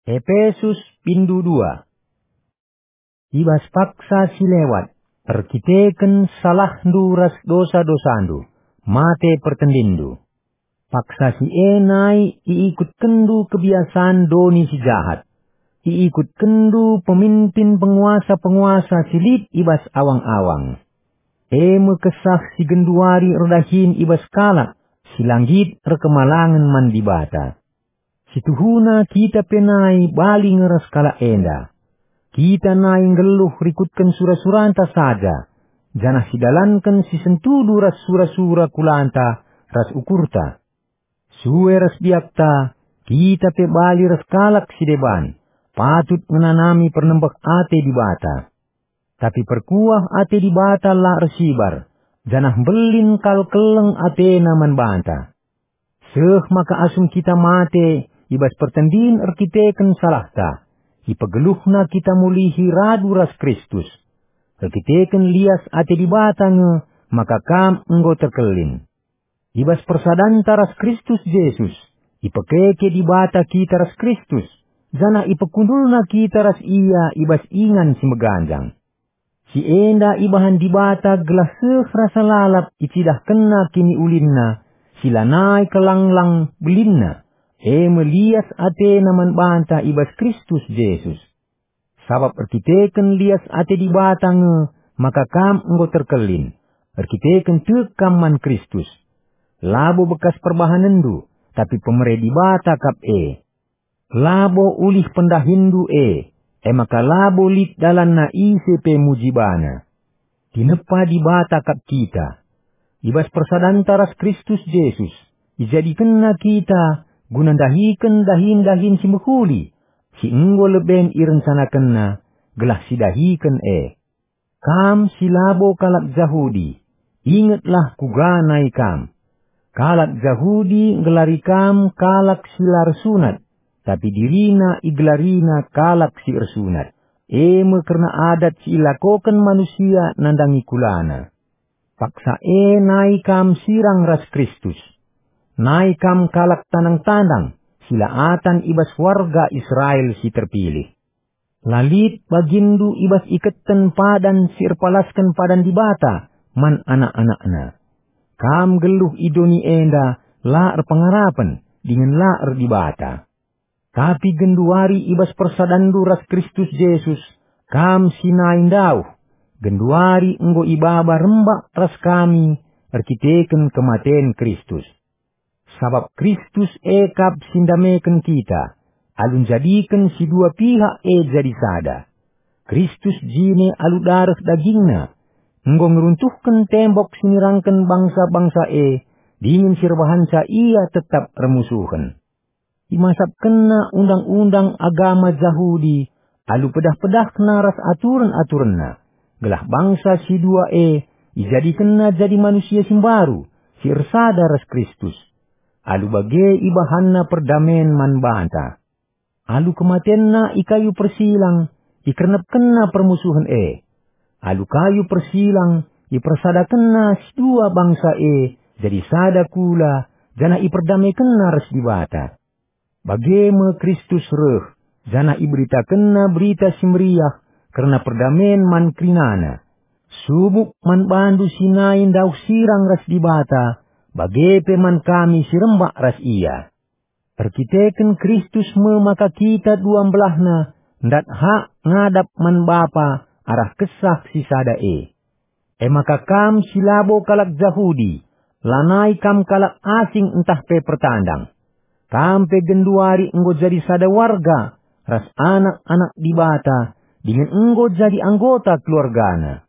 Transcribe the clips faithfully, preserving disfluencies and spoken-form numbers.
Epesus, pindu dua. I bas paksa si lewat, erkiteken salahndu ras dosa-dosandu, mate pertendinndu. Paksa si e nai iikutkenndu kebiasan doni si jahat. Iikutkenndu peminpin penguasa-penguasa si lit i bas awang-awang. E me kesah si genduari erdahin i bas kalak si la nggit erkemalangen man Dibata. Situhuna kita pe nai bali nge ras kalak enda. Kita nai nggeluh rikutken sura-suranta saja, janah sidalanken si sentudu ras sura-sura kulanta ras ukurta. Sue ras biakta, kita pe bali ras kalak si deban, patut ngenanami pernembeh ate Dibata. Tapi perkuah ate Dibata la ersibar, janah mbelin kal keleng atena man banta. Seh maka asum kita mate i bas pertendin erkiteken salahta, ipegeluhNa kita mulihi radu ras Kristus. Erkiteken lias ate Dibata nge maka kam enggo terkelin. I bas persadanta ras Kristus Jesus, ipekeke Dibata kita ras Kristus, janah ipekundulNa kita ras Ia i bas ingan si meganjang. Si enda ibahan Dibata gelah seh rasa lalap icidahkenNa kiniulinNa, si lanai kelanglang belinna, e me lias atena man banta i bas Kristus Jesus. Sabap erkiteken lias ate Dibata nge maka kam enggo terkelin, erkiteken tek kam man Kristus. Labo bekas perbahanenndu, tapi pemere Dibata kap e. Labo ulih pendahinndu e, e maka labo lit dalanna ise pe muji bana. Tinepa Dibata kap kita. I bas persadanta ras Kristus Jesus, ijadikenNa kita guna ndahiken dahin-dahin si mehuli, si enggo leben irencanakenNa, gelah sidahiken e. Kam si labo kalak Jahudi, ingetlah kuga nai kam. Kalak Jahudi nggelari kam kalak si la ersunat, tapi dirina igelarina kalak si ersunat. E me kerna adat si ilakoken manusia nandangi kulana. Paksa e nai kam sirang ras Kristus. Nai kam kalak tandang-tandang, si la atan i bas warga Israel si terpilih. La lit baginndu i bas iketen padan si erpalasken padan Dibata man anak-anakna. Kam nggeluh i doni enda la erpengarapen dingen la erdibata. Tapi genduari i bas persadanndu ras Kristus Jesus, kam si nai ndauh, genduari enggo ibaba rembak ras kami erkiteken kematen Kristus. Sabap Kristus e kap si ndameken kita, alu njadiken si dua pihak e jadi sada. Kristus jine alu dareh dagingNa, enggo ngeruntuhken tembok si nirangken bangsa-bangsa e, dingen si erbahanca ia tetap ermusuhen. ImasapkenNa undang-undang agama Jahudi alu pedah-pedahna ras aturen-aturenna, gelah bangsa si dua e ijadikenNa jadi manusia si mbaru, si ersada ras Kristus. Alu bage ibahanNa perdamen man banta. Alu kematenNa i kayu persilang, ikernepkenNa permusuhen e. Alu kayu persilang, ipersadakenNa si dua bangsa e jadi sada kula, janah iperdamekenNa ras Dibata. Bage me Kristus reh, janah iberitakenNa Berita Si Meriah kerna perdamen man kerinana. Subuk man bandu si nai ndauh sirang ras Dibata, bage pe man kami si rembak ras Ia. Erkiteken Kristus me maka kita dua mbelahna ndat hak ngadap man Bapa arah Kesah si sada e. E maka kam si labo kalak Jahudi, lanai kam kalak asing ntah pe pertandang. Kam pe genduari enggo jadi sada warga ras anak-anak Dibata, dingen enggo jadi anggota keluargaNa.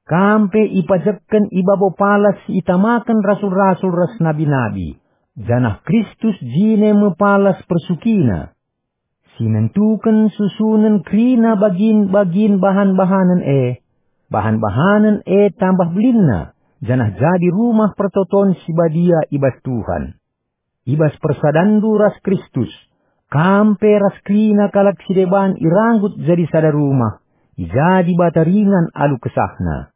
Kam pe ipajekken i babo palas si itamaken rasul-rasul ras nabi-nabi, janah Kristus jine me palas persukina. Si nentuken susunen kerina bagin-bagin bahan-bahanen e, bahan-bahanen e tambah belinna, janah jadi rumah pertoton si badia i bas Tuhan. I bas persadanndu ras Kristus, kam pe ras kerina kalak si deban iranggut jadi sada rumah, i ja Dibata ringan alu kesahNa.